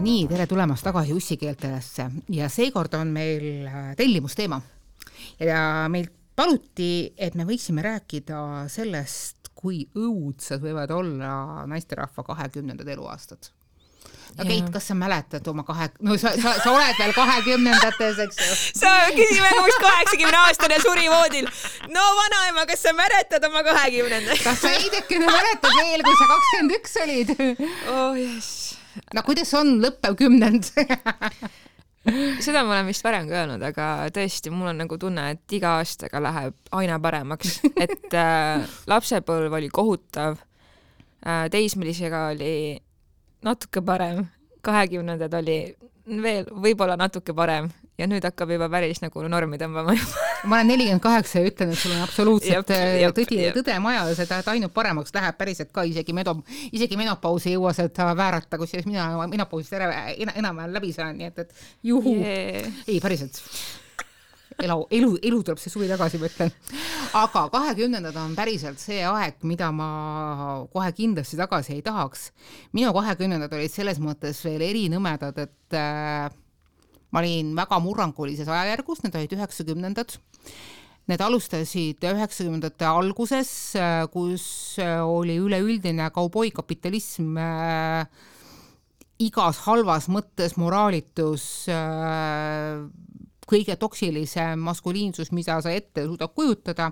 nii, tere tulemast tagasi Ussikeeltesse ja seekord on meil tellimusteema ja meil paluti, et me võiksime rääkida sellest, kui õudsad võivad olla naisterahva 20. eluaastad. No Keit, kas sa mäletad oma sa oled veel 20-ndates, eks ju? Sa küsime, kus 80-aastane suri voodil. No vanaema, kas sa mäletad oma 20-ndat? Kas sa eidekene mäletad veel, kui sa 21 olid? Oh yes. No kuidas on lõppev 10? Seda ma olen vist varem ka öelnud, aga tõesti, mul on nagu tunne, et iga aastaga läheb aina paremaks. Et lapsepõlv oli kohutav, teismelisega oli natuke parem, 20-ndad oli veel võib-olla natuke parem ja nüüd hakkab juba päris nagu normi tõmbama. Ma olen 48 ja ütlen, et sul on absoluutselt tõde majas, et ainult paremaks läheb päriselt ka, isegi menopausi ei jõua seda väärata, kus mina menopausist enam-vähem läbi saan, nii et juhu. Ei, päriselt. Elu tuleb see suvi tagasi, ma ütlen. Aga 20-ndad on päriselt see aeg, mida ma kohe kindlasti tagasi ei tahaks. Minu 20-ndad olid selles mõttes veel erinõmedad, et ma olin väga murrangulises ajajärgus, need olid 90-ndad. Need alustasid 90-ndate alguses, kus oli üleüldine kauboikapitalism, igas halvas mõttes moraalitus, kõige toksilisem maskuliinsus, mida sa ette suudab kujutada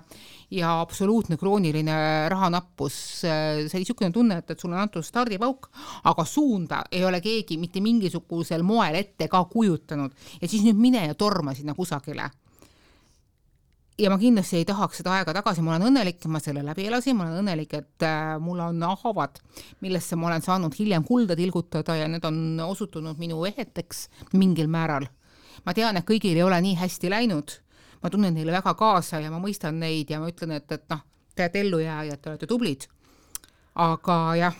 ja absoluutne krooniline rahanappus. See oli niisugune tunne, et sul on antud stardipauk, aga suunda ei ole keegi mitte mingisugusel moel ette ka kujutanud. Ja siis nüüd mine ja torma sinna kusagile. Ja ma kindlasti ei tahaks seda aega tagasi, ma olen õnnelik, ma selle läbi elasin, ma olen õnnelik, et mul on havad, millesse ma olen saanud hiljem kulda tilgutada ja need on osutunud minu eheteks mingil määral. Ma tean, et kõigil ei ole nii hästi läinud. Ma tunnen neile väga kaasa ja ma mõistan neid ja ma ütlen, et te olete ellujääjad, te olete tublid. Aga jah,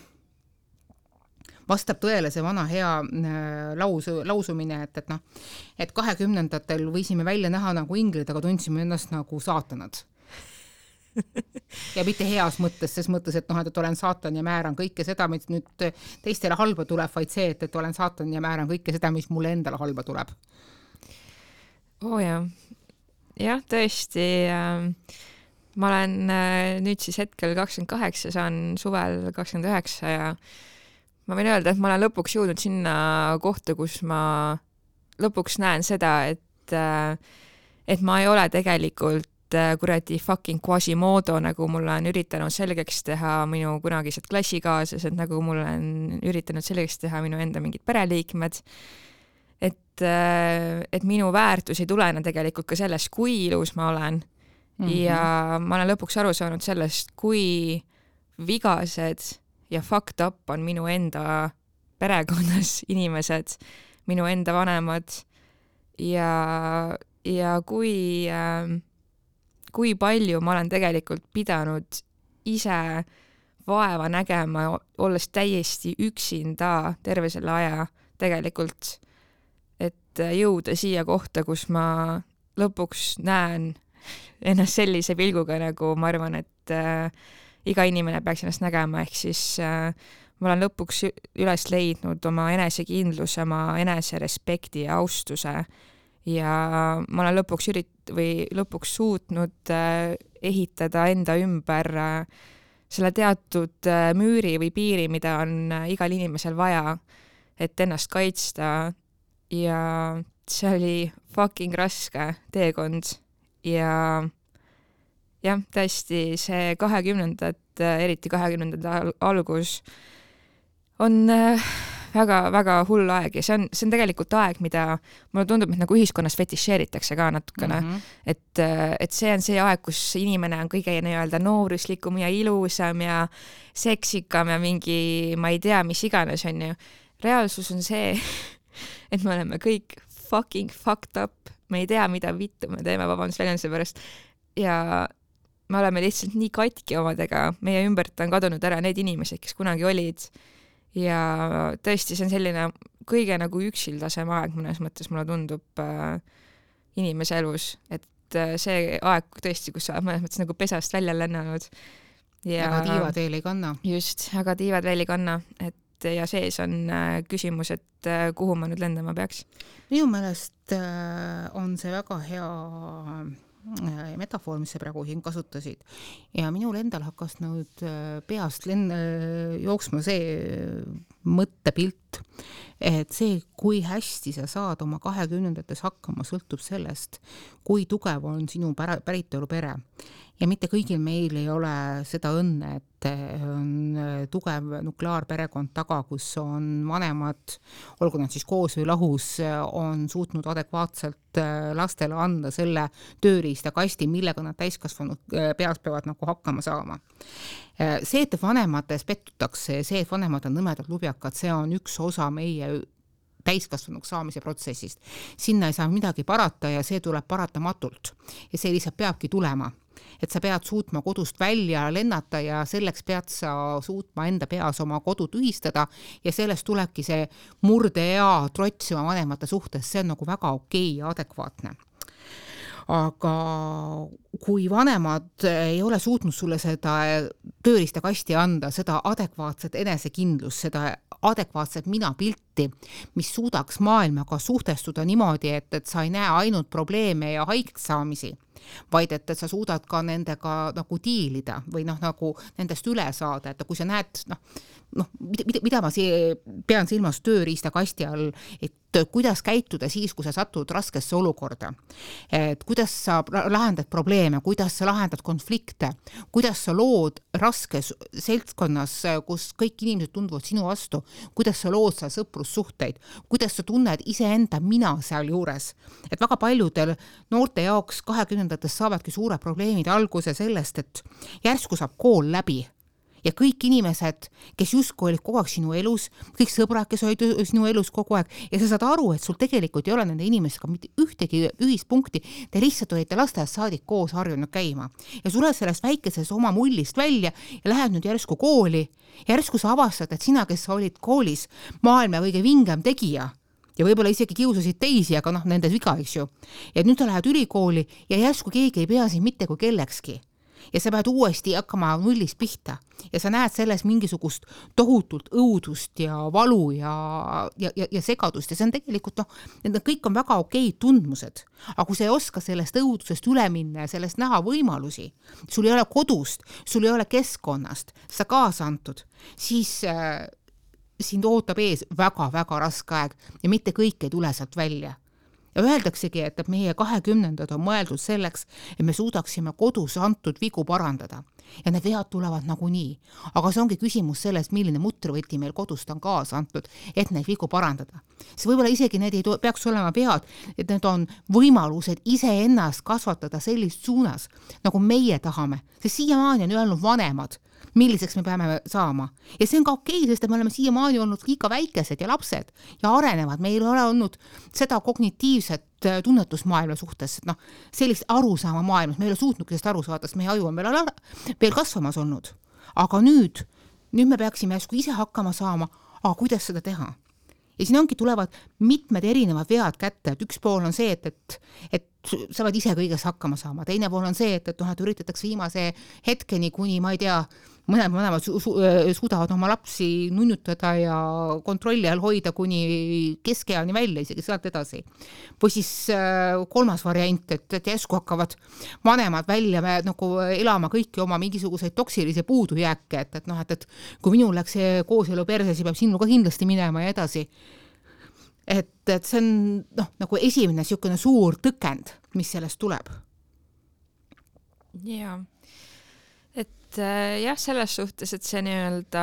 vastab tõele see vana hea lausumine, et 20-ndatel võisime välja näha nagu inglid, aga tundsime ennast nagu saatanad. Ja mitte heas mõttes, ses mõttes, et olen saatan ja määran kõike seda, mis nüüd teistele halba tuleb, vaid see, et olen saatan ja määran kõike seda, mis mulle endale halba tuleb. Jah, tõesti. Ma olen nüüd siis hetkel 28, saan suvel 29 ja ma võin öelda, et ma olen lõpuks jõudnud sinna kohta, kus ma lõpuks näen seda, et ma ei ole tegelikult kuradi fucking Quasimodo, nagu mulle on üritanud selgeks teha minu kunagised klassikaaslased, nagu mulle on üritanud selgeks teha minu enda mingid pereliikmed. Et minu väärtus ei tulene tegelikult ka sellest, kui ilus ma olen. Ja ma olen lõpuks aru saanud sellest, kui vigased ja fucked up on minu enda perekonnas inimesed, minu enda vanemad ja kui palju ma olen tegelikult pidanud ise vaeva nägema, olles täiesti üksinda terve selle aja tegelikult, et jõuda siia kohta, kus ma lõpuks näen ennast sellise pilguga, nagu ma arvan, et iga inimene peaks ennast nägema, ehk siis ma olen lõpuks üles leidnud oma enesekindluse, oma eneserespekti ja austuse ja ma olen lõpuks suutnud ehitada enda ümber selle teatud müüri või piiri, mida on igal inimesel vaja, et ennast kaitsta. Ja see oli fucking raske teekond ja jah, tõesti see 20-ndad, eriti 20-ndad algus on väga hull aeg ja see on tegelikult aeg, mida mulle tundub, et nagu ühiskonnas fetišeeritakse ka natukene, et see on see aeg, kus inimene on kõige nii-öelda nooruslikum ja ilusam ja seksikam ja mingi, ma ei tea, mis iganes on ju. Reaalsus on see, et me oleme kõik fucking fucked up, me ei tea, mida vittu me teeme vabandust väljenduse pärast ja me oleme lihtsalt nii katki omadega, meie ümbert on kadunud ära need inimesed, kes kunagi olid ja tõesti see on selline kõige nagu üksildasem aeg mõnes mõttes mulle tundub inimese elus, et see aeg tõesti, kus sa mõnes mõttes nagu pesast välja lennanud ja aga tiivad veel ei kanna. Just, aga tiivad veel ei kanna, et ja sees on küsimus, et kuhu ma nüüd lendama peaks? Minu meelest on see väga hea metafoor, mis sa praegu siin kasutasid ja minul endal hakkas nüüd peast jooksma see mõttepilt, et see, kui hästi sa saad oma 20-ndates hakkama, sõltub sellest, kui tugev on sinu päritolu pere. Ja mitte kõigil meil ei ole seda õnne, et on tugev nukleaarperekond taga, kus on vanemad, olgu nad siis koos või lahus, on suutnud adekvaatselt lastele anda selle tööriista kasti, millega nad täiskasvanud peas peavad nagu hakkama saama. See, et vanemates pettutakse, see, et vanemad on nõmedad lubjakad, see on üks osa meie täiskasvanuks saamise protsessist. Sinna ei saa midagi parata ja see tuleb paratamatult. Ja see lihtsalt peabki tulema. Et sa pead suutma kodust välja lennata ja selleks pead sa suutma enda peas oma kodu tühistada ja sellest tulebki see murdeea trots oma vanemate suhtes, see on nagu väga okei ja adekvaatne. Aga kui vanemad ei ole suutnud sulle seda tööriista kasti anda, seda adekvaatset enesekindlust, seda adekvaatset minapilti, mis suudaks maailmaga suhtestuda niimoodi, et sa ei näe ainult probleeme ja haigeks saamisi, vaid et sa suudad ka nendega nagu diilida või nagu nendest üle saada, et kui sa näed, mida ma pean silmas tööriista kasti all, et kuidas käituda siis, kui sa satud raskesse olukorda, et kuidas sa lahendad probleeme, kuidas sa lahendad konflikte, kuidas sa lood raskes seltskonnas, kus kõik inimesed tunduvad sinu vastu, kuidas sa lood seal sõprussuhteid, kuidas sa tunned iseenda mina seal juures. Et väga paljudel noorte jaoks 20-ndates saavadki suured probleemid alguse sellest, et järsku saab kool läbi ja kõik inimesed, kes justkui olid kogu aeg sinu elus, kõik sõbrad, kes olid sinu elus kogu aeg ja sa saad aru, et sul tegelikult ei ole nende inimestega mitte ühtegi ühispunkti, te lihtsalt olite lasteaiast saadik koos harjunud käima ja sulle sellest väikesest oma mullist välja ja lähed nüüd järsku kooli, järsku sa avastad, et sina, kes sa olid koolis maailma kõige vingem tegija ja võib-olla isegi kiusasid teisi, aga nende viga, eks ju. Ja nüüd sa lähed ülikooli ja järsku keegi ei pea siin mitte kui kellekski. Ja sa pead uuesti hakkama nullist pihta ja sa näed selles mingisugust tohutult õudust ja valu ja segadust ja see on tegelikult, need kõik on väga okeid tundmused, aga kui sa ei oska sellest õudusest üle minna ja sellest näha võimalusi, sul ei ole kodust, sul ei ole keskkonnast, sa kaasa antud, siis sind ootab ees väga-väga raske aeg ja mitte kõik ei tule sealt välja. Ja öeldaksegi, et meie 20-ndad on mõeldud selleks, et me suudaksime kodus antud vigu parandada. Ja need vead tulevad nagunii. Aga see ongi küsimus sellest, milline mutrivõti meil kodust on kaasa antud, et neid vigu parandada. See võib-olla isegi need ei peaks olema vead, et need on võimalused iseennast kasvatada sellist suunas, nagu meie tahame. Sest siiamaani on öelnud vanemad, milliseks me peame saama. Ja see on ka okei, sest me oleme siiamaani olnud liiga väikesed ja lapsed ja arenevad. Meil ei ole olnud seda kognitiivset tunnetusmaailma suhtes, sellist arusaama maailmas. Me ei ole suutnudki sellest aru saada, sest meie aju on veel kasvamas olnud. Aga nüüd me peaksime järsku ise hakkama saama, aga kuidas seda teha? Ja siin ongi tulevad mitmed erinevad vead kätte, et üks pool on see, et sa pead ise kõiges hakkama saama. Teine pool on see, et üritatakse viimase hetkeni, kuni, ma ei tea, mõlemad suudavad oma lapsi nunnutada ja kontrolli all hoida kuni keskeani välja, isegi sealt edasi. Või siis kolmas variant, et järsku hakkavad vanemad välja elama kõiki oma mingisuguseid toksilisi puudujääke, et kui minul läks see kooselu perse, siis peab sinul ka kindlasti minema ja edasi. Et see on nagu esimene niisugune suur tõkend, mis sellest tuleb. Jaa. Et jah, selles suhtes, et see nii-öelda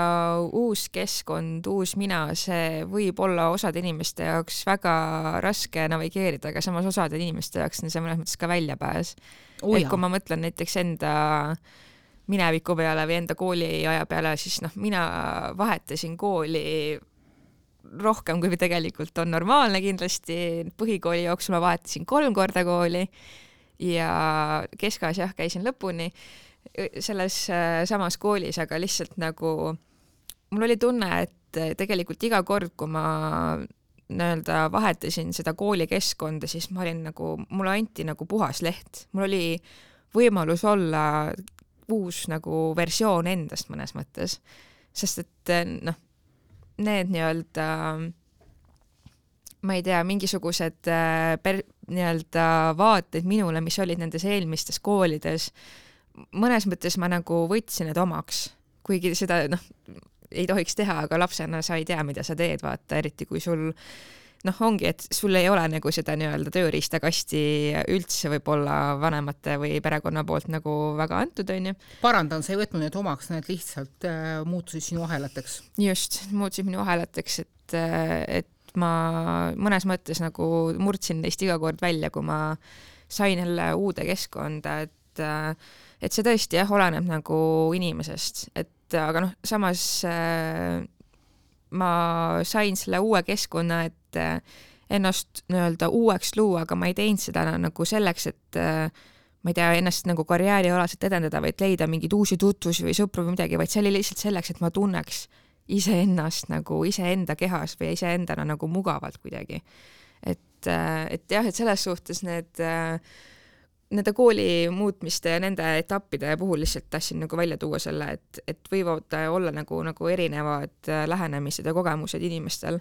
uus keskkond, uus mina, see võib olla osade inimeste jaoks väga raske navigeerida, aga samas osade inimeste jaoks on see mõnes mõttes ka väljapääs. Et kui ma mõtlen näiteks enda mineviku peale või enda kooliaja peale, siis mina vahetasin kooli rohkem, kui tegelikult on normaalne kindlasti. Põhikooli jooksul ma vahetasin 3 korda kooli ja keskajas käisin lõpuni selles samas koolis, aga lihtsalt mul oli tunne, et tegelikult iga kord, kui ma nii-öelda vahetasin seda koolikeskkonda, siis ma olin mulle anti puhas leht. Mul oli võimalus olla uus versioon endast mõnes mõttes, sest et need nii-öelda, ma ei tea, mingisugused nii-öelda vaated minule, mis olid nendes eelmistes koolides, mõnes mõttes ma nagu võtsin need omaks, kuigi seda ei tohiks teha, aga lapsena sa ei tea, mida sa teed, vaata, eriti kui sul ongi, et sul ei ole nagu seda nii-öelda tööriistakasti üldse võib-olla vanemate või perekonna poolt nagu väga antud, on ju. Parandan, sa ei võtnud need omaks, need lihtsalt muutusid sinu ahelateks. Just, muutusid minu ahelateks, et ma mõnes mõttes nagu murdsin neist iga kord välja, kui ma sain jälle uude keskkonda, et see tõesti oleneb nagu inimesest, aga samas ma sain selle uue keskkonna, et ennast nii-öelda uueks luua, aga ma ei teinud seda nagu selleks, et ma ei tea, ennast nagu karjäärialaselt edendada, vaid leida mingeid uusi tutvusi või sõpru või midagi, vaid see oli lihtsalt selleks, et ma tunneks iseennast nagu iseenda kehas või iseendana nagu mugavalt kuidagi. Et jah, et selles suhtes nende kooli muutmiste ja nende etappide puhul lihtsalt tahtsin nagu välja tuua selle, et võivad olla nagu erinevad lähenemised ja kogemused inimestel.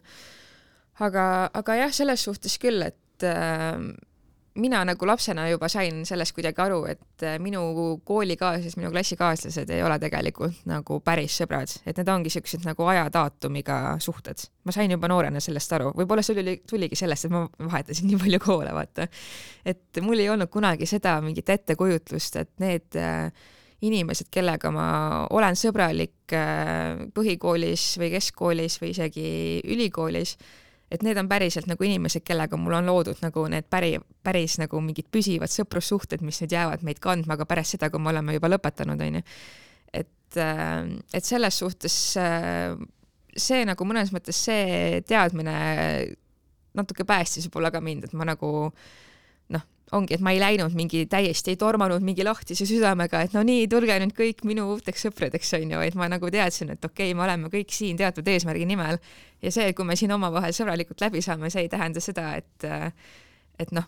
Aga jah, selles suhtes küll, et mina nagu lapsena juba sain sellest kuidagi aru, et minu koolikaaslased, minu klassikaaslased ei ole tegelikult nagu päris sõbrad, et need ongi sellised nagu ajadaatumiga suhted. Ma sain juba noorena sellest aru. Võib-olla see tuligi sellest, et ma vahetasin nii palju koole, vaata. Et mul ei olnud kunagi seda mingit ettekujutlust, et need inimesed, kellega ma olen sõbralik põhikoolis või keskkoolis või isegi ülikoolis, et need on päriselt nagu inimesed, kellega mul on loodud nagu need päris nagu mingid püsivad sõprussuhted, mis nüüd jäävad meid kandma, aga pärast seda, kui me oleme juba lõpetanud, on ju. Et selles suhtes see nagu mõnes mõttes see teadmine natuke päästis võib-olla ka mind, et ma nagu ongi, et ma ei läinud täiesti ei tormanud mingi lahtise südamega, et no nii, tulge nüüd kõik minu uuteks sõpradeks, on ju, et ma nagu teadsin, et okei, me oleme kõik siin teatud eesmärgi nimel ja see, kui me siin omavahel sõbralikult läbi saame, see ei tähenda seda, et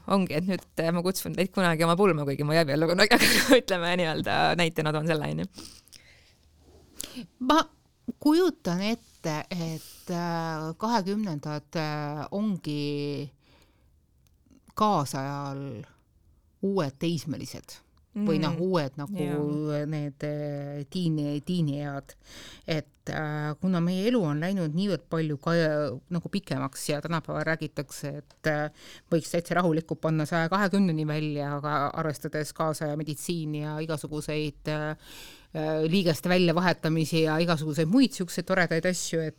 ongi, et nüüd ma kutsun teid kunagi oma pulma, kuigi ma jääb jälle kunagi, ütleme nii-öelda näitena toon selle, on ju. Ma kujutan ette, et 20-ndad ongi kaasajal uued teismelised või uued nagu need tiiniead, et kuna meie elu on läinud niivõrd palju nagu pikemaks ja tänapäeval räägitakse, et võiks täitsa rahulikult panna 120-ni välja, aga arvestades kaasaja meditsiini ja igasuguseid liigeste väljavahetamisi ja igasuguseid muid siukseid toredaid asju, et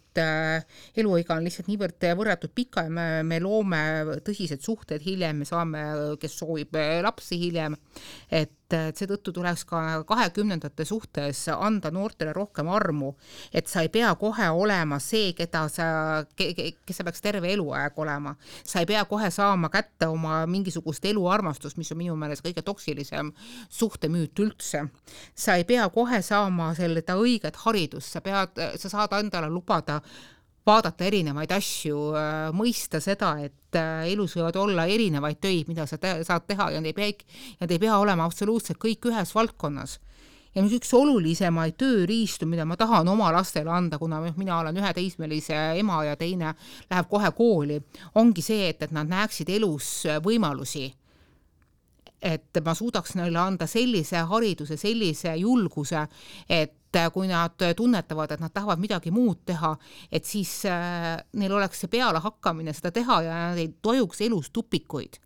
eluiga on lihtsalt niivõrd võrratult pika ja me loome tõsised suhted hiljem, me saame, kes soovib lapsi hiljem, et seetõttu tuleks ka 20-ndate suhtes anda noortele rohkem armu, et sa ei pea kohe olema see, kes sa peaks terve eluaeg olema. Sa ei pea kohe saama kätte oma mingisugust eluarmastust, mis on minu meelest kõige toksilisem suhtemüüt üldse. Sa ei pea kohe saama seda õiget haridust, sa saad endale lubada vaadata erinevaid asju, mõista seda, et elus võivad olla erinevaid töid, mida sa saad teha ja need ei pea olema absoluutselt kõik ühes valdkonnas. Ja üks olulisemaid tööriistu, mida ma tahan oma lastele anda, kuna mina olen ühe teismelise ema ja teine läheb kohe kooli, ongi see, et nad näeksid elus võimalusi. Et ma suudaks neile anda sellise hariduse, sellise julguse, et kui nad tunnetavad, et nad tahavad midagi muud teha, et siis neil oleks see peale hakkamine seda teha ja nad ei tojuks elus tupikuid.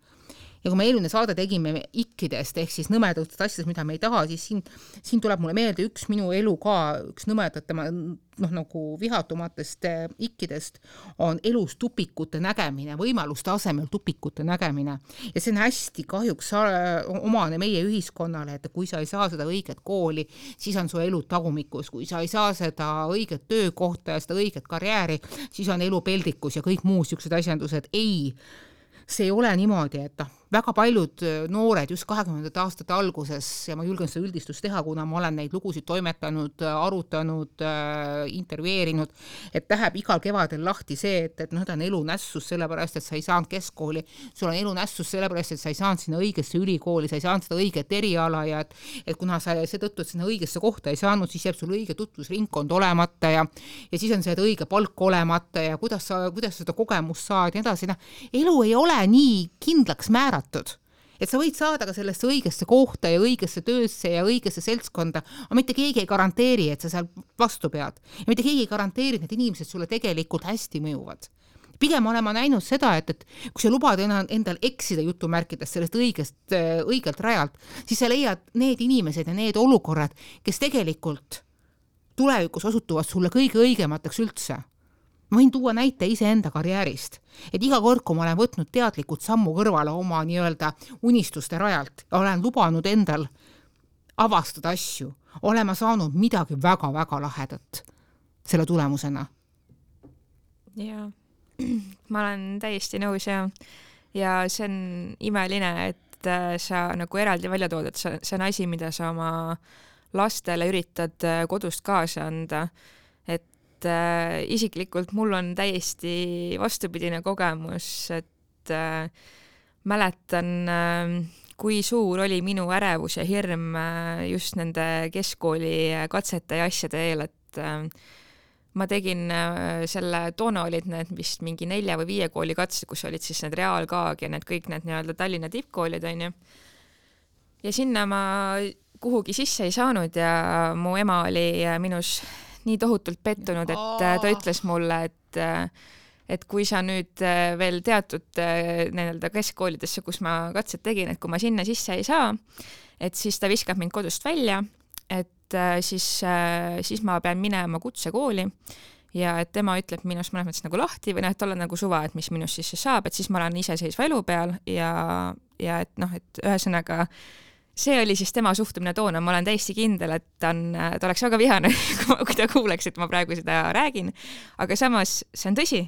Ja kui me eelmine saade tegime ikkidest, ehk siis nõmedatest asjadest, mida me ei taha, siis siin tuleb mulle meelde üks minu elu ka, üks nõmedat tema nagu vihatumatest ikkidest on elus tupikute nägemine, võimaluste asemel tupikute nägemine. Ja see on hästi kahjuks omane meie ühiskonnale, et kui sa ei saa seda õiget kooli, siis on su elu tagumikus. Kui sa ei saa seda õiget töökohta ja seda õiget karjääri, siis on elu peldikus ja kõik muu siuksed asjandused. Ei, see ei ole niimoodi, et väga paljud noored just 20. aastate alguses, ja ma julgen seda üldistust teha, kuna ma olen neid lugusid toimetanud, arutanud, intervjueerinud, et läheb igal kevadel lahti see, et ta on elunässus sellepärast, et sa ei saanud keskkooli, sul on elunässus sellepärast, et sa ei saanud sinna õigesse ülikooli, sa ei saanud seda õiget eriala ja et kuna sa seetõttu, et sinna õigesse kohta ei saanud, siis jääb sul õige tutvusringkond olemata ja siis on see õige palk olemata ja kuidas seda kogemust saad ja nii edasi. Elu ei ole nii kindlaks määratud, et sa võid saada ka sellesse õigesse kohta ja õigesse töösse ja õigesse seltskonda, aga mitte keegi ei garanteeri, et sa seal vastu pead. Ja mitte keegi ei garanteeri, et need inimesed sulle tegelikult hästi mõjuvad. Pigem olen ma näinud seda, et kui sa lubad endal eksida jutumärkides sellest õigelt rajalt, siis sa leiad need inimesed ja need olukorrad, kes tegelikult tulevikus osutuvad sulle kõige õigemateks üldse. Ma võin tuua näite iseenda karjäärist, et iga kord, kui ma olen võtnud teadlikult sammu kõrvale oma nii-öelda unistuste rajalt ja olen lubanud endal avastada asju, olen ma saanud midagi väga-väga lahedat selle tulemusena. Jaa, ma olen täiesti nõus ja see on imeline, et sa nagu eraldi välja tood, et see on asi, mida sa oma lastele üritad kodust kaasa anda. Isiklikult mul on täiesti vastupidine kogemus, et mäletan, kui suur oli minu ärevus ja hirm just nende keskkooli katsete ja asjade eel, et ma tegin toona olid need vist mingi 4 või 5 kooli katsed, kus olid siis need reaalkaag ja need kõik need nii-öelda Tallinna tippkoolid, on ju. Ja sinna ma kuhugi sisse ei saanud ja mu ema oli minus nii tohutult pettunud, et ta ütles mulle, et kui sa nüüd veel teatud nii-öelda keskkoolidesse, kus ma katsed tegin, et kui ma sinna sisse ei saa, et siis ta viskab mind kodust välja, et siis ma pean minema kutsekooli ja et tema ütleb minust mõnes mõttes nagu lahti või et olla nagu suva, et mis minust siis saab, et siis ma olen iseseisva elu peal ja et ühesõnaga see oli siis tema suhtumine toona, ma olen täiesti kindel, et ta oleks väga vihane, kui ta kuuleks, et ma praegu seda räägin, aga samas see on tõsi.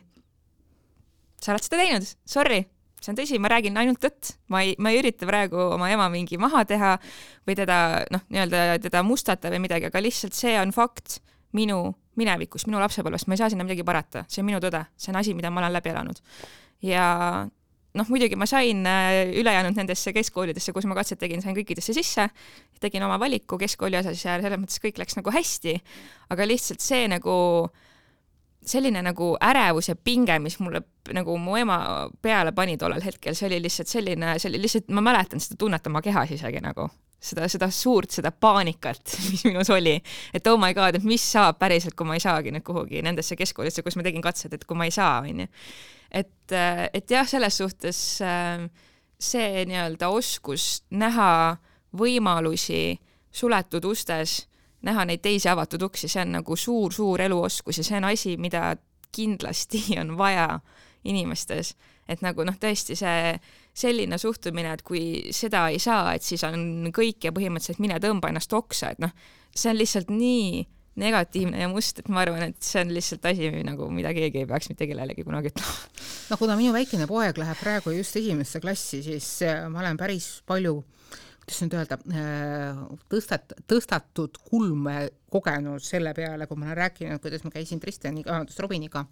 Sa oled seda teinud, sorry, see on tõsi, ma räägin ainult tõtt, ma ei ürita praegu oma ema mingi maha teha või teda mustata või midagi, aga lihtsalt see on fakt minu minevikus, minu lapsepõlvest, ma ei saa sinna midagi parata, see on minu tõde, see on asi, mida ma olen läbi elanud. Ja muidugi ma sain ülejäänud nendesse keskkoolidesse, kus ma katset tegin, sain kõikidesse sisse, tegin oma valiku keskkooli osas ja selles mõttes kõik läks nagu hästi, aga lihtsalt see nagu selline nagu ärevus ja pinge, mis mulle nagu mu ema peale pani tollel hetkel, see oli lihtsalt, ma mäletan seda tunnet oma kehas isegi nagu, seda suurt, seda paanikat, mis minus oli, et oh my god, et mis saab päriselt, kui ma ei saagi nüüd kuhugi nendesse keskkoolidesse, kus ma tegin katsed, et kui ma ei saa, on ju. Et jah, selles suhtes see nii-öelda oskus näha võimalusi suletud ustes, näha neid teisi avatud uksi, see on nagu suur eluoskus ja see on asi, mida kindlasti on vaja inimestes, et nagu tõesti see selline suhtumine, et kui seda ei saa, et siis on kõik ja põhimõtteliselt mine tõmba ennast oksa, et see on lihtsalt nii negatiivne ja must, et ma arvan, et see on lihtsalt asi, nagu, mida keegi ei peaks mitte kellelegi kunagi ütlema. No kuna minu väikene poeg läheb praegu just esimesse klassi, siis ma olen päris palju tõstatud kulme kogenud selle peale, kui ma olen rääkinud, kuidas ma käisin Robiniga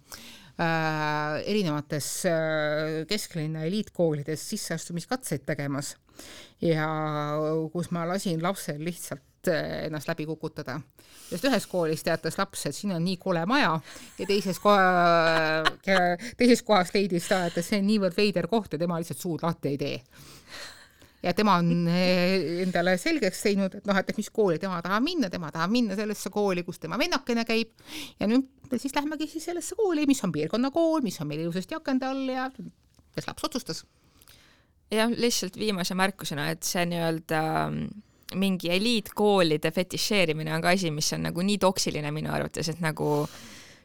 erinevates kesklinna eliitkoolides sisseastumiskatseid tegemas ja kus ma lasin lapsel lihtsalt ennast läbi kukutada. Sest ühes koolis teatas laps, et siin on nii kole maja ja teises kohas leidis ta, et see on niivõrd veider koht ja tema lihtsalt suud lahti ei tee. Ja tema on endale selgeks teinud, et mis kooli tema tahab minna sellesse kooli, kus tema vennakene käib ja nüüd siis lähmegi siis sellesse kooli, mis on piirkonnakool, mis on meil ilusasti akende all ja kes laps otsustas. Jah, lihtsalt viimase märkusena, et see nii-öelda mingi eliitkoolide fetišeerimine on ka asi, mis on nagu nii toksiline minu arvates, et nagu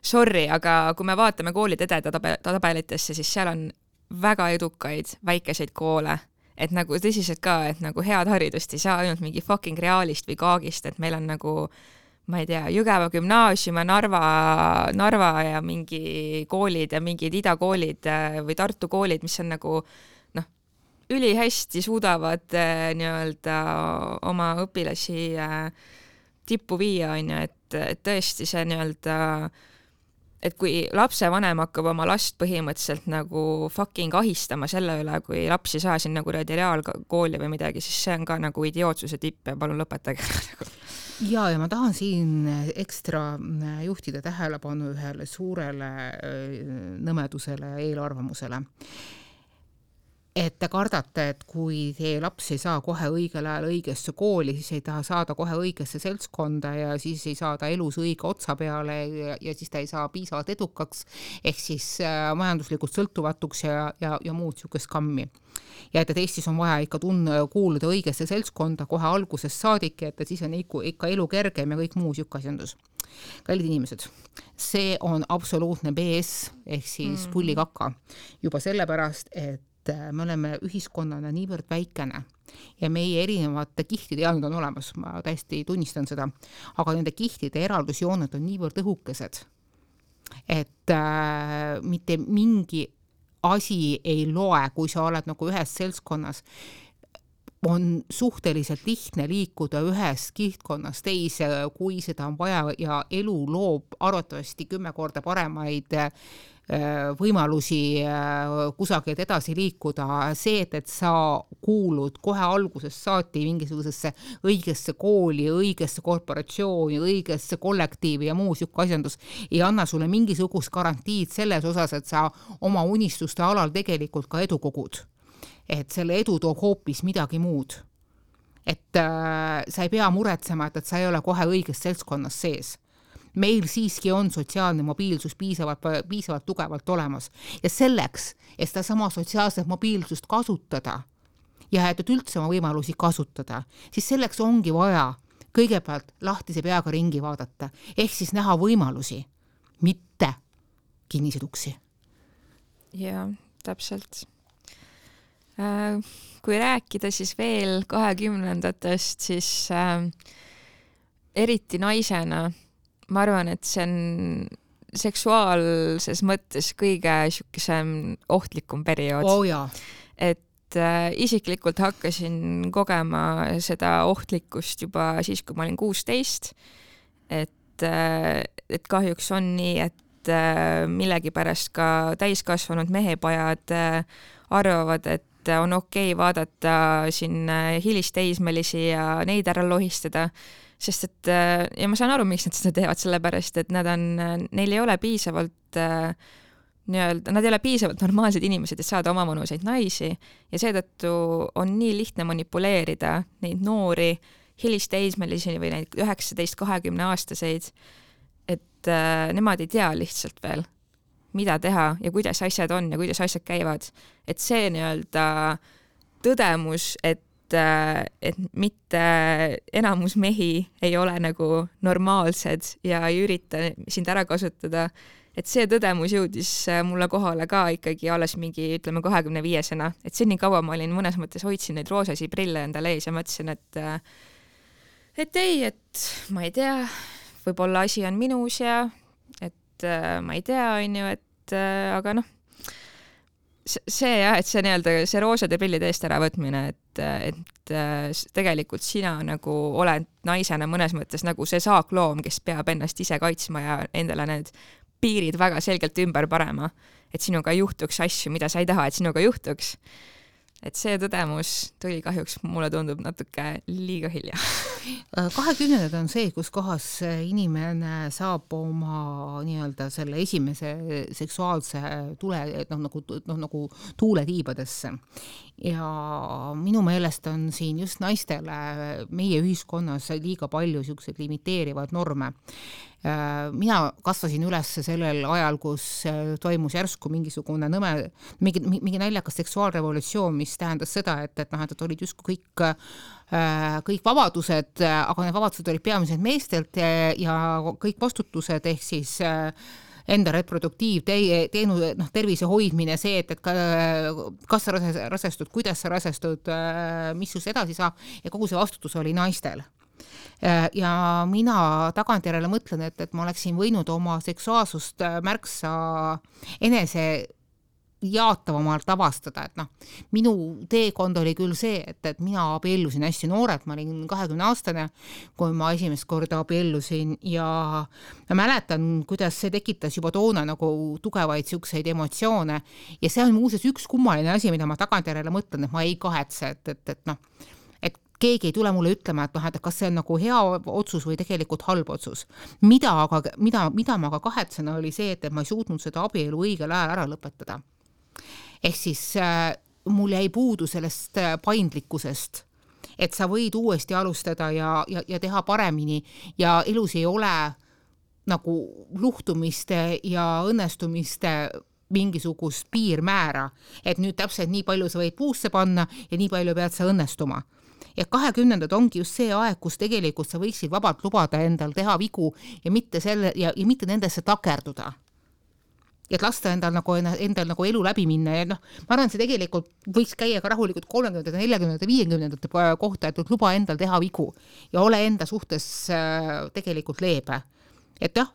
sorry, aga kui me vaatame koolide edetabelitesse, siis seal on väga edukaid väikeseid koole, et nagu tõsiselt ka, et nagu head haridust ei saa ainult mingi fucking Realist või Kaagist, et meil on nagu, ma ei tea, Jõgeva gümnaasium ja Narva ja mingi koolid ja mingid idakoolid või Tartu koolid, mis on nagu ülihästi suudavad nii-öelda oma õpilasi tippu viia, on ju, et tõesti see nii-öelda, et kui lapsevanem hakkab oma last põhimõtteliselt nagu fucking ahistama selle üle, kui laps ei saa sinna kuradi reaalkooli või midagi, siis see on ka nagu idiootsuse tipp ja palun lõpetage. Ja ma tahan siin ekstra juhtida tähelepanu ühele suurele nõmedusele ja eelarvamusele. Et te kardate, et kui teie laps ei saa kohe õigel ajal õigesse kooli, siis ei taha saada kohe õigesse seltskonda ja siis ei saa ta elus õige otsa peale ja siis ta ei saa piisavalt edukaks, ehk siis majanduslikult sõltuvatuks ja muud niisugust kammi. Ja et Eestis on vaja ikka kuuluda õigesse seltskonda kohe algusest saadik, et siis on ikka elu kergem ja kõik muu niisugune asjandus. Kallid inimesed, see on absoluutne BS ehk siis pullikaka juba sellepärast, et me oleme ühiskonnana niivõrd väikene ja meie erinevate kihtide jaanud on olemas, ma täiesti tunnistan seda, aga nende kihtide eraldusjooned on niivõrd õhukesed, et mitte mingi asi ei loe, kui sa oled nagu ühes seltskonnas. On suhteliselt lihtne liikuda ühest kihtkonnast teise, kui seda on vaja ja elu loob arvatavasti 10 korda paremaid võimalusi kusagilt edasi liikuda. See, et sa kuulud kohe algusest saati mingisugusesse õigesse kooli, õigesse korporatsiooni, õigesse kollektiivi ja muu siuke asjandus ei anna sulle mingisugust garantiid selles osas, et sa oma unistuste alal tegelikult ka edu kogud. Et selle edu toob hoopis midagi muud. Et sa ei pea muretsema, et sa ei ole kohe õiges seltskonnas sees. Meil siiski on sotsiaalne mobiilsus piisavalt tugevalt olemas. Ja selleks, et seda sama sotsiaalset mobiilsust kasutada ja et üldse oma võimalusi kasutada, siis selleks ongi vaja kõigepealt lahtise peaga ringi vaadata, ehk siis näha võimalusi, mitte kinnised uksi. Ja, täpselt. Kui rääkida siis veel 20-ndatest, siis eriti naisena ma arvan, et see on seksuaalses mõttes kõige niisugusem ohtlikum periood. Oh, jaa. Et isiklikult hakkasin kogema seda ohtlikkust juba siis, kui ma olin 16. Et kahjuks on nii, et millegipärast ka täiskasvanud mehepajad arvavad, et on okei vaadata siin hilisteismelisi ja neid ära lohistada, sest et, ja ma saan aru, miks nad seda teevad, sellepärast, et neil ei ole piisavalt nad ei ole piisavalt normaalsed inimesed, et saada oma vanuseid naisi ja seetõttu on nii lihtne manipuleerida neid noori hilisteismelisi või neid 19-20 aastaseid, et nemad ei tea lihtsalt veel, mida teha ja kuidas asjad on ja kuidas asjad käivad. Et see nii-öelda tõdemus, et mitte enamus mehi ei ole nagu normaalsed ja ei ürita sind ära kasutada, et see tõdemus jõudis mulle kohale ka ikkagi alles mingi, ütleme, 25-sena. Et seni kaua ma olin mõnes mõttes hoidsin neid roosasi prille endale ees ja mõtlesin, et ei, et ma ei tea, võib-olla asi on minus ja et ma ei tea, on ju, et aga noh, see jah, et see nii-öelda see roosade prillide eest ära võtmine, et tegelikult sina nagu oled naisena mõnes mõttes nagu see saakloom, kes peab ennast ise kaitsma ja endale need piirid väga selgelt ümber parema, et sinuga juhtuks asju, mida sa ei taha, et sinuga juhtuks. Et see tõdemus tuli kahjuks, mulle tundub natuke liiga hilja. 20 on see, kus kohas inimene saab oma nii-öelda selle esimese seksuaalse tule, nagu tuule tiibadesse. Ja minu meelest on siin just naistele meie ühiskonnas liiga palju sellised limiteerivad norme. Mina kasvasin üles sellel ajal, kus toimus järsku mingisugune mingi naljakas seksuaalrevolutsioon, mis tähendas seda, et olid just kõik vabadused, aga need vabadused olid peamiselt meestelt ja kõik vastutused ehk siis enda tervise hoidmine, see, et kas sa rasestud, kuidas sa rasestud, mis just edasi saab ja kogu see vastutus oli naistel. Ja mina tagantjärele mõtlen, et ma oleksin võinud oma seksuaalsust märksa jaatavamalt avastada, et noh, minu teekond oli küll see, et mina abiellusin hästi noorelt, ma olin 20-aastane, kui ma esimest korda abiellusin ja ma mäletan, kuidas see tekitas juba toona nagu tugevaid siukseid emotsioone ja see on muuseas üks kummaline asi, mida ma tagantjärele mõtlen, et ma ei kahetse, et noh, et keegi ei tule mulle ütlema, et noh, et kas see on nagu hea otsus või tegelikult halb otsus. Mida ma aga kahetsen oli see, et ma ei suutnud seda abielu õigel ajal ära lõpetada. Ehk siis mul jäi puudu sellest paindlikkusest, et sa võid uuesti alustada ja teha paremini ja elus ei ole nagu luhtumiste ja õnnestumiste mingisugust piirmäära, et nüüd täpselt nii palju sa võid puusse panna ja nii palju pead sa õnnestuma. Ja 20. ongi just see aeg, kus tegelikult sa võiksid vabalt lubada endal teha vigu ja mitte nendesse takerduda. Et lasta endal nagu elu läbi minna ja noh, ma arvan, see tegelikult võiks käia ka rahulikult 30, 40, 50 kohta, et luba endal teha vigu ja ole enda suhtes tegelikult leebe. Et jah,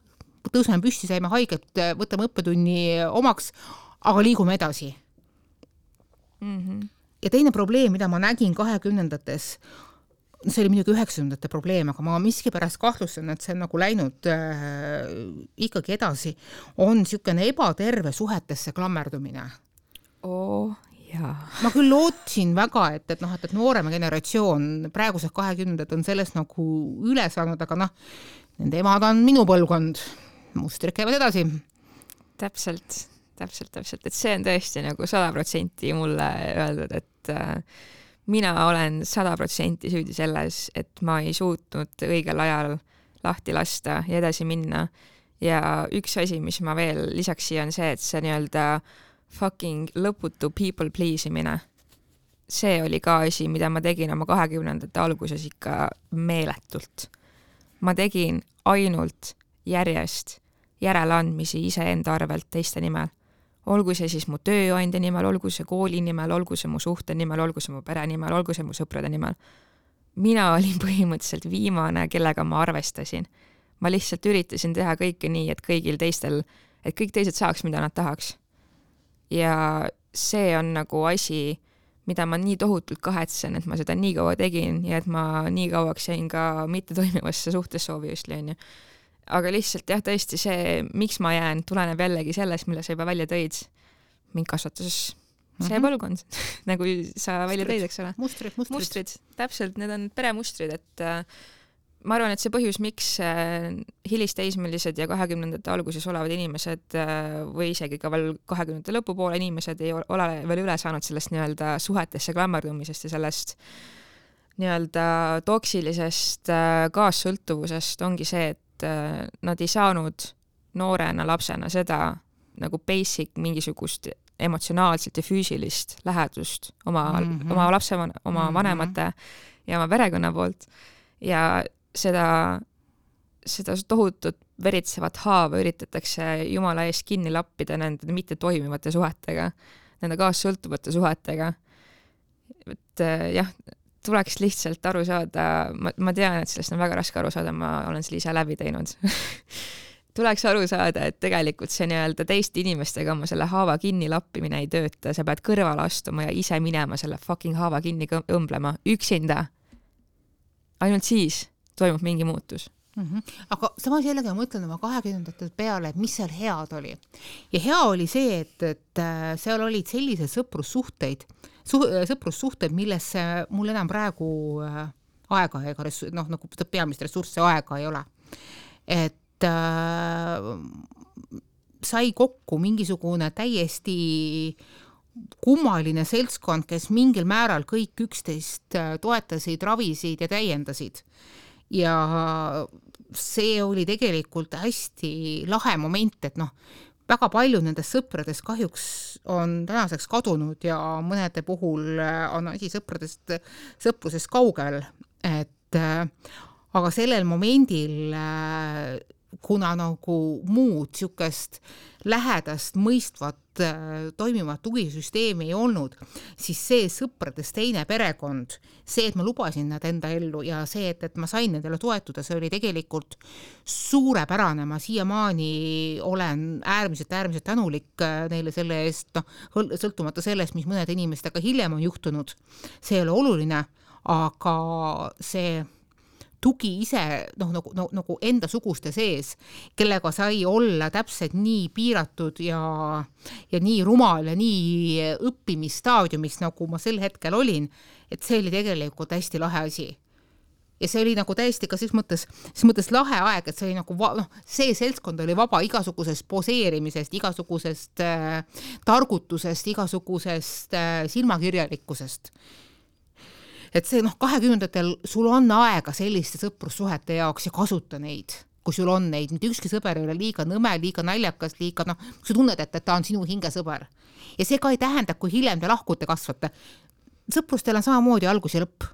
tõuseme püsti, saime haiget, võtame õppetunni omaks, aga liigume edasi. Ja teine probleem, mida ma nägin 20-ndates, see oli muidugi 90-ndate probleem, aga ma miskipärast kahtlustan, et see on nagu läinud ikkagi edasi, on niisugune ebaterve suhetesse klammerdumine. Jaa. Ma küll lootsin väga, et noorema generatsioon, praegused 20-ndad on sellest nagu üle saanud, aga noh, nende emad on minu põlvkond, mustrid käivad edasi. Täpselt, et see on tõesti nagu 100% mulle öeldud, et mina olen 100% süüdi selles, et ma ei suutnud õigel ajal lahti lasta ja edasi minna. Ja üks asi, mis ma veel lisaks siia on see, et see nii-öelda fucking lõputu people please imine. See oli ka asi, mida ma tegin oma 20-ndate alguses ikka meeletult. Ma tegin ainult järjest järeleandmisi iseenda arvelt teiste nimel. Olgu see siis mu tööandja nimel, olgu see kooli nimel, olgu see mu suhte nimel, olgu see mu pere nimel, olgu see mu sõprade nimel. Mina olin põhimõtteliselt viimane, kellega ma arvestasin. Ma lihtsalt üritasin teha kõike nii, et kõik teised saaks, mida nad tahaks. Ja see on nagu asi, mida ma nii tohutult kahetsen, et ma seda nii kaua tegin ja et ma nii kauaks jäin ka mitte toimivasse suhtessoovi just lõin. Aga lihtsalt jah, tõesti see, miks ma jään, tuleneb jällegi sellest, mille sa juba välja tõid. Mind kasvatas see põlvkond, nagu sa välja tõid, eks ole. Mustrid. Täpselt, need on peremustrid, et ma arvan, et see põhjus, miks hilisteismelised ja 20-ndate alguses olevad inimesed või isegi ka veel 20-ndate lõpupoole inimesed ei ole veel üle saanud sellest nii-öelda suhetesse klammerdumisest ja sellest nii-öelda toksilisest kaassõltuvusest ongi see, et nad ei saanud noorena lapsena seda nagu basic mingisugust emotsionaalselt ja füüsilist lähedust oma lapse, oma vanemate ja oma perekonna poolt ja seda tohutut veritsevat haava üritatakse jumala eest kinni lappida nende mitte toimivate suhetega, nende kaassõltuvate suhetega. Et jah, tuleks lihtsalt aru saada, ma tean, et sellest on väga raske aru saada, ma olen selle ise läbi teinud. Tuleks aru saada, et tegelikult see nii-öelda teiste inimestega oma selle haava kinni lappimine ei tööta, sa pead kõrvale astuma ja ise minema selle fucking haava kinni õmblema, üksinda. Ainult siis toimub mingi muutus. Aga samas jällegi ma mõtlen oma 20-ndate peale, et mis seal head oli. Ja hea oli see, et seal olid sellised sõprussuhteid, millesse mul enam praegu aega ega nagu peamist ressurssi aega ei ole. Et sai kokku mingisugune täiesti kummaline seltskond, kes mingil määral kõik üksteist toetasid, ravisid ja täiendasid. Ja see oli tegelikult hästi lahe moment, et väga palju nendest sõpradest kahjuks on tänaseks kadunud ja mõnede puhul on asi sõprusest kaugel. Aga sellel momendil kuna nagu muud niisugust lähedast mõistvat toimivat tugisüsteemi ei olnud, siis see sõpradest teine perekond, see, et ma lubasin nad enda ellu ja see, et ma sain nendele toetuda, see oli tegelikult suurepärane. Ma siiamaani olen äärmiselt tänulik neile selle eest, sõltumata sellest, mis mõnede inimestega hiljem on juhtunud. See ei ole oluline, aga see tugi ise nagu enda suguste sees, kellega sai olla täpselt nii piiratud ja nii rumal ja nii õppimisstaadiumis, nagu ma sel hetkel olin, et see oli tegelikult hästi lahe asi. Ja see oli nagu täiesti ka siis mõttes lahe aeg, et see oli nagu, see seltskond oli vaba igasugusest poseerimisest, igasugusest targutusest, igasugusest silmakirjalikkusest. Et see 20-ndatel sul on aega selliste sõprussuhete jaoks ja kasuta neid, kui sul on neid. Mitte ükski sõber ei ole liiga nõme, liiga naljakas, liiga, sa tunned, et ta on sinu hingesõber. Ja see ka ei tähenda, kui hiljem te lahkute kasvate. Sõprustel on samamoodi algus ja lõpp.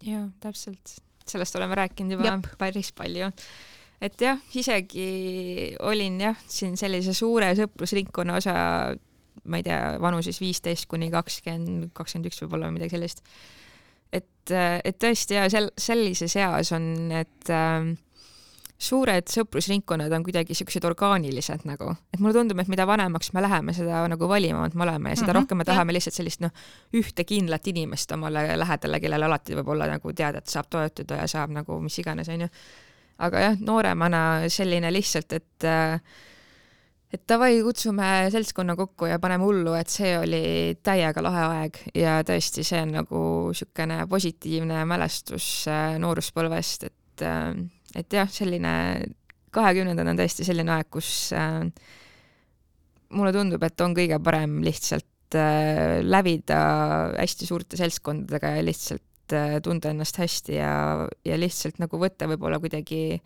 Jaa, täpselt. Sellest oleme rääkinud juba päris palju. Et jah, isegi olin siin sellise suure sõprusringkonna osa, ma ei tea, vanuses 15 kuni 20, 21 võib-olla midagi sellist. Et tõesti sellises eas on, et suured sõprusringkonnad on kuidagi sellised orgaanilised nagu, et mulle tundub, et mida vanemaks me läheme, seda nagu valimavad me oleme ja seda rohkem me tahame lihtsalt sellist ühte kindlat inimest omale lähedale, kellele alati võib olla nagu teada, et saab toetuda ja saab nagu mis iganes, on ju. Aga jah, nooremana selline lihtsalt, et davai, kutsume seltskonna kokku ja paneme hullu, et see oli täiega lahe aeg ja tõesti see on nagu sükene positiivne mälestus nooruspõlvest, et jah, selline 20 on tõesti selline aeg, kus mulle tundub, et on kõige parem lihtsalt lävida hästi suurte seltskondadega ja lihtsalt tunda ennast hästi ja lihtsalt nagu võtta võib-olla kuidagi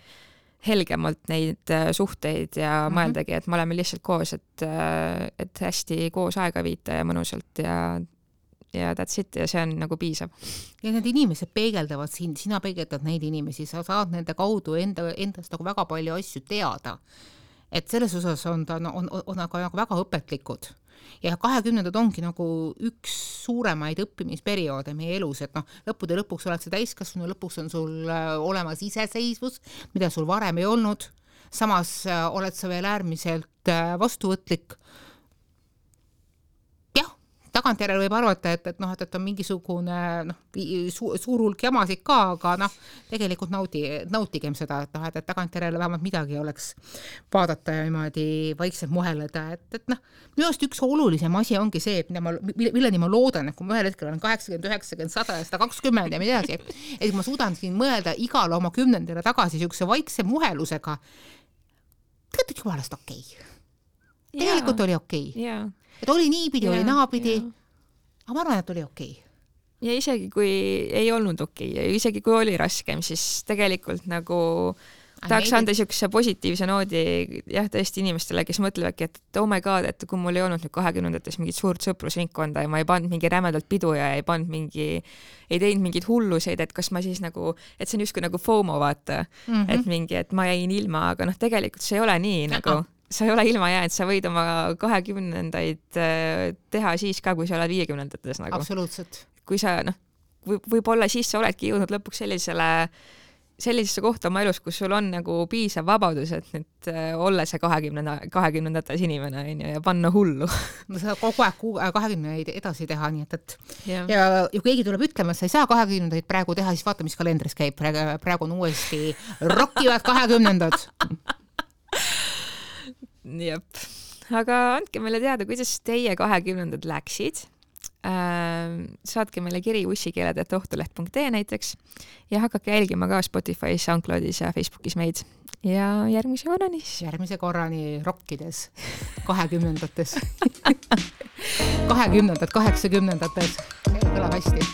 helgemalt neid suhteid ja mõeldagi, et me oleme lihtsalt koos, et hästi koos aega viita ja mõnusalt ja that's it ja see on nagu piisav. Ja need inimesed peegeldavad sind, sina peegeldad neid inimesi, sa saad nende kaudu endast nagu väga palju asju teada. Et selles osas on aga väga õpetlikud. Ja 20 ongi nagu üks suuremaid õppimisperioode meie elus, et lõppude lõpuks oled sa täiskasvanu, lõpuks on sul olemas iseseisvus, mida sul varem ei olnud. Samas oled sa veel äärmiselt vastuvõtlik. Jah, tagantjärele võib arvata, et on mingisugune suur hulk jamasid ka, aga tegelikult nautigem seda, et tagantjärele vähemalt midagi oleks vaadata ja niimoodi vaikselt muheleda, et minu arust üks olulisem asi ongi see, milleni ma loodan, et kui ma ühel hetkel olen 80, 90, 100 ja 120 ja midagi, et ma suudan siin mõelda igale oma 10. tagasi niisuguse vaikse muhelusega, tegelikult jumalast okei. Tegelikult oli okei. Et oli niipidi, oli naapidi, aga ma arvan, et oli okei. Ja isegi kui ei olnud okei ja isegi kui oli raskem, siis tegelikult nagu tahaks anda niisuguse positiivse noodi jah, tõesti inimestele, kes mõtlevadki, et oh my god, et kui mul ei olnud nüüd 20-ndates mingit suurt sõprusringkonda ja ma ei pannud mingi rämedalt pidu ja ei teinud mingid hulluseid, et kas ma siis nagu, et see on justkui nagu FOMO vaata, et ma jäin ilma, aga tegelikult see ei ole nii nagu, sa ei ole ilma jäänud, sa võid oma 20-ndaid teha siis ka, kui sa oled 50-ndates nagu. Absoluutselt. Kui sa, võib-olla siis sa oledki jõudnud lõpuks sellisesse kohta oma elus, kus sul on nagu piisav vabadus, et nüüd olla see 20-ndates inimene ja panna hullu. Ma saad kogu aeg 20-ndaid edasi teha, nii et ja keegi tuleb ütlema, et sa ei saa 20-ndaid praegu teha, siis vaata, mis kalendris käib. Praegu on uuesti rockivad 20-ndad. Jep. Aga andke meile teada, kuidas teie 20-ndad läksid. Saatke meile kiri ussikeeled@ohtuleht.ee näiteks ja hakake jälgima ka Spotify's, SoundCloudis ja Facebookis meid ja järgmise korrani rockides 20-ndates 20-ndad, 80-ndates kõlab hästi